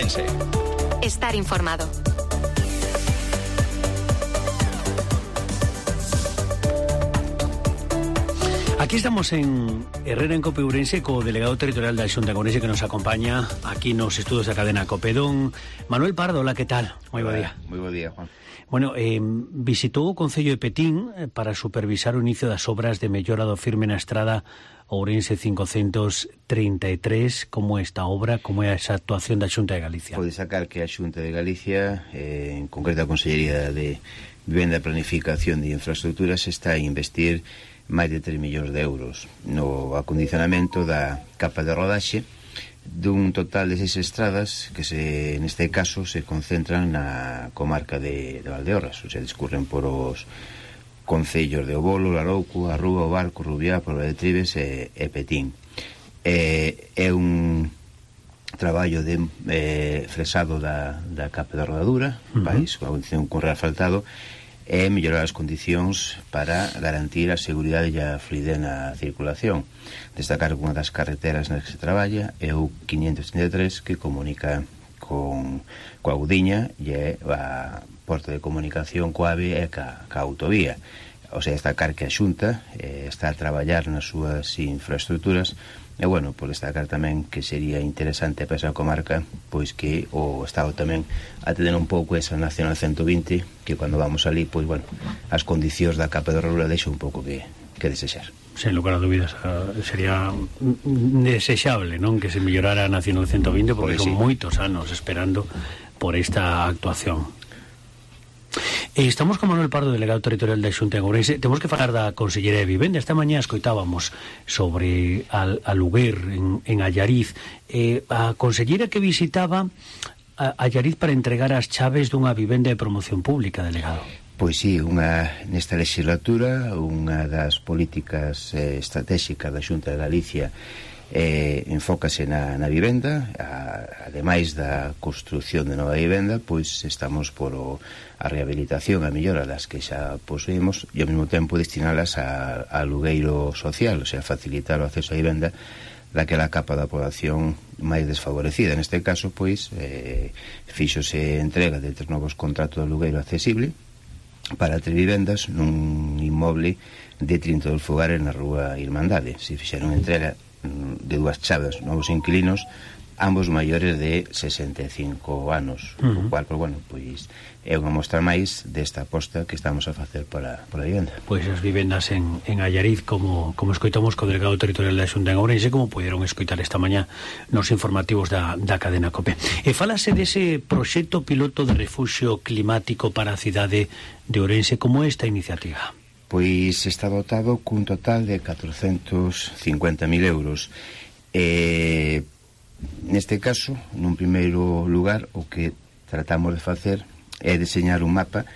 Ourense. Estar informado. Aquí estamos en Herrera en Cope Ourense co delegado territorial da Xunta de Ourense que nos acompaña aquí nos estudos da cadena Cope. Don Manuel Pardo, hola, que tal? Moi bo día. Moi bo día, Juan. Bueno, visitou o Concello de Petín para supervisar o inicio das obras de mellora do firme na estrada Ourense 533. Como é esta obra, como é esa actuación da Xunta de Galicia? Pode sacar que a Xunta de Galicia, en concreto a Consellería de Vivenda e Planificación de Infraestructuras, está a investir máis de 3 millóns de euros no acondicionamento da capa de rodaxe dun total de 6 estradas que neste caso se concentran na comarca de Valdeorras, ou sea, discurren por os concellos de Obolo, Larouco, Arrúa, O Barco, Rubiá, Porba de Tribes e Petín. É un traballo de fresado da capa de rodadura, país, con reasfaltado, e mellorar as condicións para garantir a seguridade e a fluidez na circulación. Destacar que unha das carreteras nas que se traballa é o 533, que comunica coa Gudiña e é a porta de comunicación coa AVE e ca autovía. O sea, destacar que a Xunta está a traballar nas súas infraestructuras. E, bueno, por destacar tamén que sería interesante para esa comarca pois que o Estado tamén atender un pouco esa Nacional 120, que cando vamos ali, pois, bueno, as condicións da capa de rodadura deixa un pouco que desexar. Sen lugar a dúbidas, sería desexable, non, que se mellorara a Nacional 120, porque son moitos anos esperando por esta actuación. Estamos con Manuel Pardo, delegado territorial da Xunta de Ourense. Temos que falar da Consellería de Vivenda. Esta mañá escoitábamos sobre Aluguer en Allariz. A consellera que visitaba Allariz para entregar as chaves dunha vivenda de promoción pública, delegado. Pois sí, nesta legislatura unha das políticas estratégicas da Xunta de Galicia enfócase na vivenda. Ademais da construción de nova vivenda, pois estamos por a rehabilitación, a mellora das que xa posuímos e ao mesmo tempo destinalas a alugueiro social, o sea, facilitar o acceso a vivenda daquela capa da población máis desfavorecida. Neste caso, pois, fíxose entrega de 3 novos contratos de alugueiro accesible para 3 vivendas nun inmoble de 32 fogares na rúa Irmandade. Se fixeron entrega de 2 chaves novos inquilinos, ambos maiores de 65 anos, o cual, pues, bueno, pois é unha mostra máis desta aposta que estamos a facer para a vivenda. Pois as vivendas en Allariz, como escoitamos co delegado territorial da Xunta en Ourense, como puderon escoitar esta mañá nos informativos da cadena COPE. E falase dese proxecto piloto de refuxio climático para a cidade de Ourense. Como é esta iniciativa? Pois está dotado cun total de 450.000 euros. Neste caso, nun primeiro lugar, o que tratamos de facer é deseñar un mapa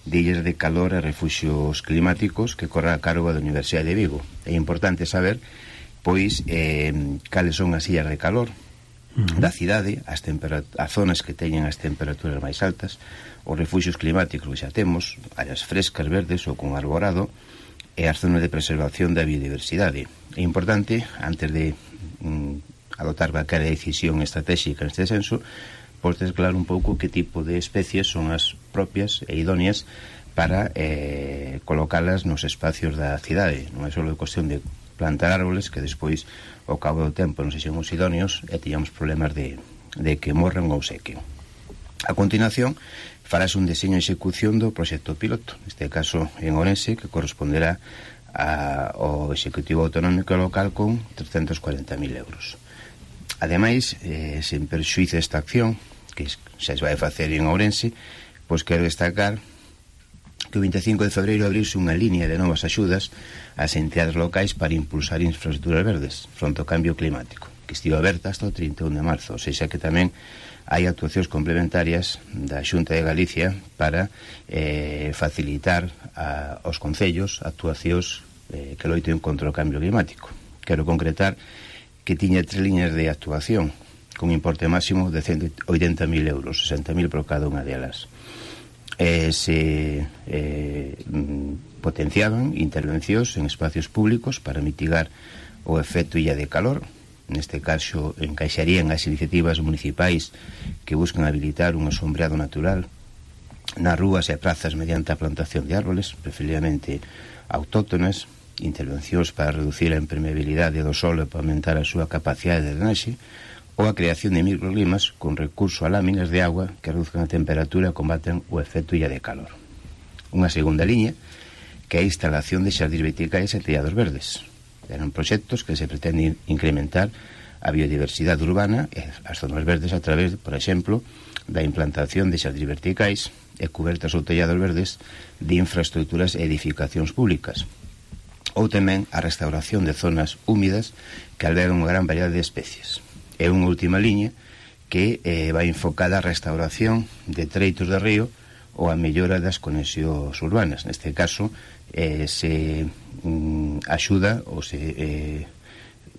de illas de calor e refuxios climáticos que corre a cargo da Universidade de Vigo. É importante saber, pois, cales son as illas de calor da cidade, as zonas que teñen as temperaturas máis altas, os refuxios climáticos que xa temos, áreas frescas, verdes ou con arborado, e as zonas de preservación da biodiversidade. É importante, antes de adoptar calquera decisión estratégica neste senso, pois desclarar un pouco que tipo de especies son as propias e idóneas para colocalas nos espacios da cidade. Non é só cuestión de plantar árboles que despois, ao cabo do tempo, non sexen os idóneos e tiñamos problemas de que morran ou sequen. A continuación, farás un deseño e execución do proxecto piloto, neste caso en Ourense, que corresponderá ao Executivo Autonómico Local con 340.000 euros. Ademais, sen perxuízo desta acción, que xa se vai facer en Ourense, pois quero destacar que o 25 de febreiro abriuse unha línea de novas axudas ás entidades locais para impulsar infraestructuras verdes fronte ao cambio climático, que estivo aberta hasta o 31 de marzo, ou seja que tamén hai actuacións complementarias da Xunta de Galicia para facilitar aos concellos actuacións que loiten contra o cambio climático. Quero concretar que tiña 3 líneas de actuación con importe máximo de 180.000 euros, 60.000 por cada unha delas. Se potenciaban intervencións en espacios públicos para mitigar o efecto illa de calor, neste caso encaixarían as iniciativas municipais que buscan habilitar un sombreado natural nas rúas e prazas mediante a plantación de árboles, preferiblemente autóctonas, intervencións para reducir a impermeabilidade do solo e para aumentar a súa capacidade de drenaxe, ou a creación de microclimas con recurso a láminas de agua que reduzcan a temperatura e combaten o efecto illa de calor. Unha segunda liña, que é a instalación de xardíns verticais e tellados verdes. Eran proxectos que se pretenden incrementar a biodiversidade urbana e as zonas verdes a través, por exemplo, da implantación de xardíns verticais e cubertas ou tellados verdes de infraestructuras e edificacións públicas, ou tamén a restauración de zonas húmidas que albergan unha gran variedade de especies. É unha última liña que vai enfocada a restauración de treitos de río ou a mellora das conexións urbanas. Neste caso, se axuda ou se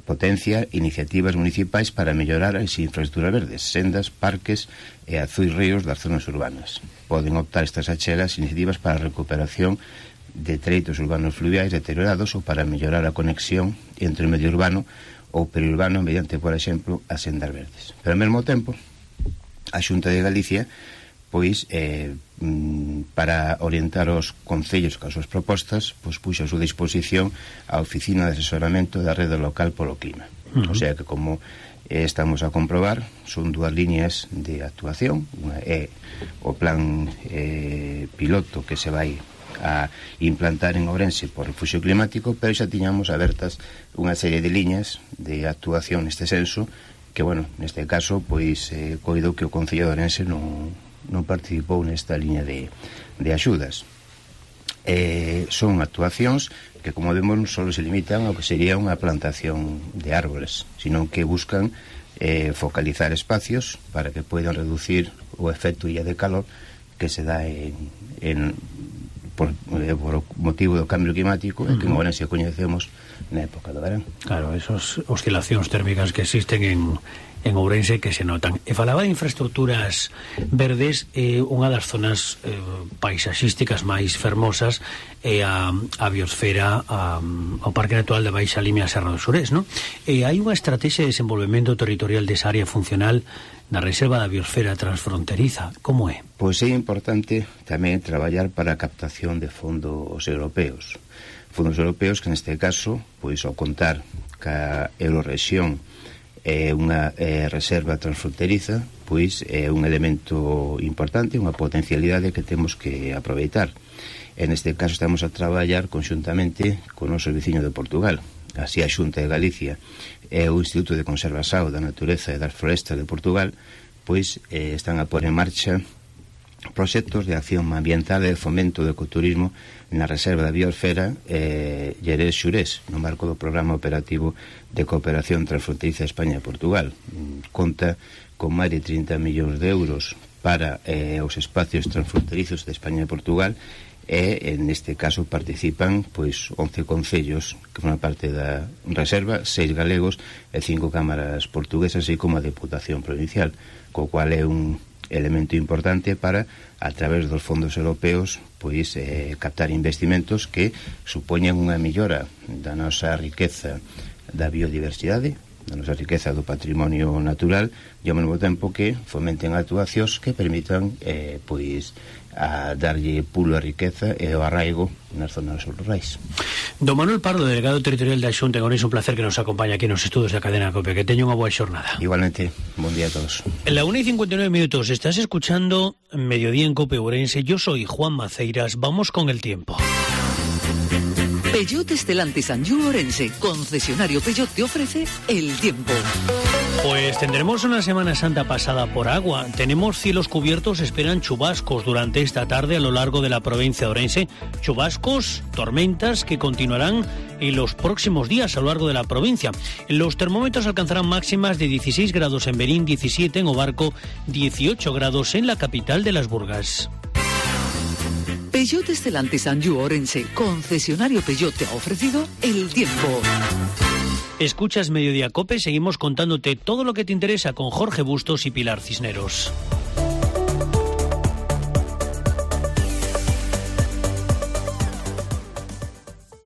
potencia iniciativas municipais para mellorar as infraestructuras verdes, sendas, parques e azuis ríos das zonas urbanas. Poden optar estas achegas iniciativas para a recuperación de treitos urbanos fluviais deteriorados ou para mellorar a conexión entre o medio urbano ou periurbano mediante, por exemplo, as sendas verdes. Pero ao mesmo tempo, a Xunta de Galicia pois para orientar os concellos cas súas propostas, pois puxo a súa disposición a Oficina de Asesoramento da Rede Local polo Clima. O sea que, como estamos a comprobar, son dúas líneas de actuación. Unha é o plan piloto que se vai a implantar en Ourense por refugio climático, pero xa tiñamos abertas unha serie de liñas de actuación neste senso que, bueno, neste caso, pois coido que o Concello de Ourense non participou nesta liña de axudas. Son actuacións que, como vemos, non só se limitan ao que sería unha plantación de árboles, sino que buscan focalizar espacios para que poidan reducir o efecto illa de calor que se dá por motivo do cambio climático e que en Ourense coñecemos na época do verán. Claro, esas oscilacións térmicas que existen en Ourense que se notan. E falaba de infraestructuras verdes, unha das zonas paisaxísticas máis fermosas é a biosfera, ao Parque Natural da Baixa Limia Serra do Surés, non? Hai unha estrategia de desenvolvemento territorial desa área funcional na reserva da biosfera transfronteriza. Como é? Pois é importante tamén traballar para a captación de fondos europeos. Fondos europeos que neste caso, pois ao contar ca Eurorexión é unha reserva transfronteriza, pois é un elemento importante, unha potencialidade que temos que aproveitar. En este caso estamos a traballar conxuntamente con o noso veciño de Portugal. Así a Xunta de Galicia e o Instituto de Conservación da Natureza e das Florestas de Portugal pois están a pôr en marcha proxectos de acción ambiental e de fomento do ecoturismo na reserva da biosfera Xerés-Xurés, no marco do Programa Operativo de Cooperación Transfronteriza España e Portugal. Conta con máis de 30 millóns de euros para os espacios transfronterizos de España e Portugal, e neste caso participan pois 11 concellos que forman parte da reserva, 6 galegos e 5 cámaras portuguesas, así como a Deputación Provincial, co cual é un elemento importante para, a través dos fondos europeos, pois captar investimentos que supoñan unha mellora da nosa riqueza da biodiversidade, da nosa riqueza do patrimonio natural, e ao mesmo tempo que fomenten actuacións que permitan pois a darlle pulo a riqueza e o arraigo nas zonas rurais. Don Manuel Pardo, delegado territorial da Xunta en Ourense, un placer que nos acompañe aquí nos estudos da cadena COPE. Que teña unha boa xornada. Igualmente, bon día a todos. En la 1:59 minutos, estás escuchando Mediodía en COPE Ourense. Yo soy Juan Maceiras. Vamos con el tiempo. Peugeot Stellantis Anjou Ourense, concesionario Peugeot, te ofrece el tiempo. Pues tendremos una Semana Santa pasada por agua. Tenemos cielos cubiertos, esperan chubascos durante esta tarde a lo largo de la provincia de Ourense. Chubascos, tormentas que continuarán en los próximos días a lo largo de la provincia. Los termómetros alcanzarán máximas de 16 grados en Berín, 17 en Obarco, 18 grados en la capital de Las Burgas. Peugeot Stellantis Anjou Ourense, concesionario Peugeot, te ha ofrecido el tiempo. Escuchas Mediodía COPE, seguimos contándote todo lo que te interesa con Jorge Bustos y Pilar Cisneros.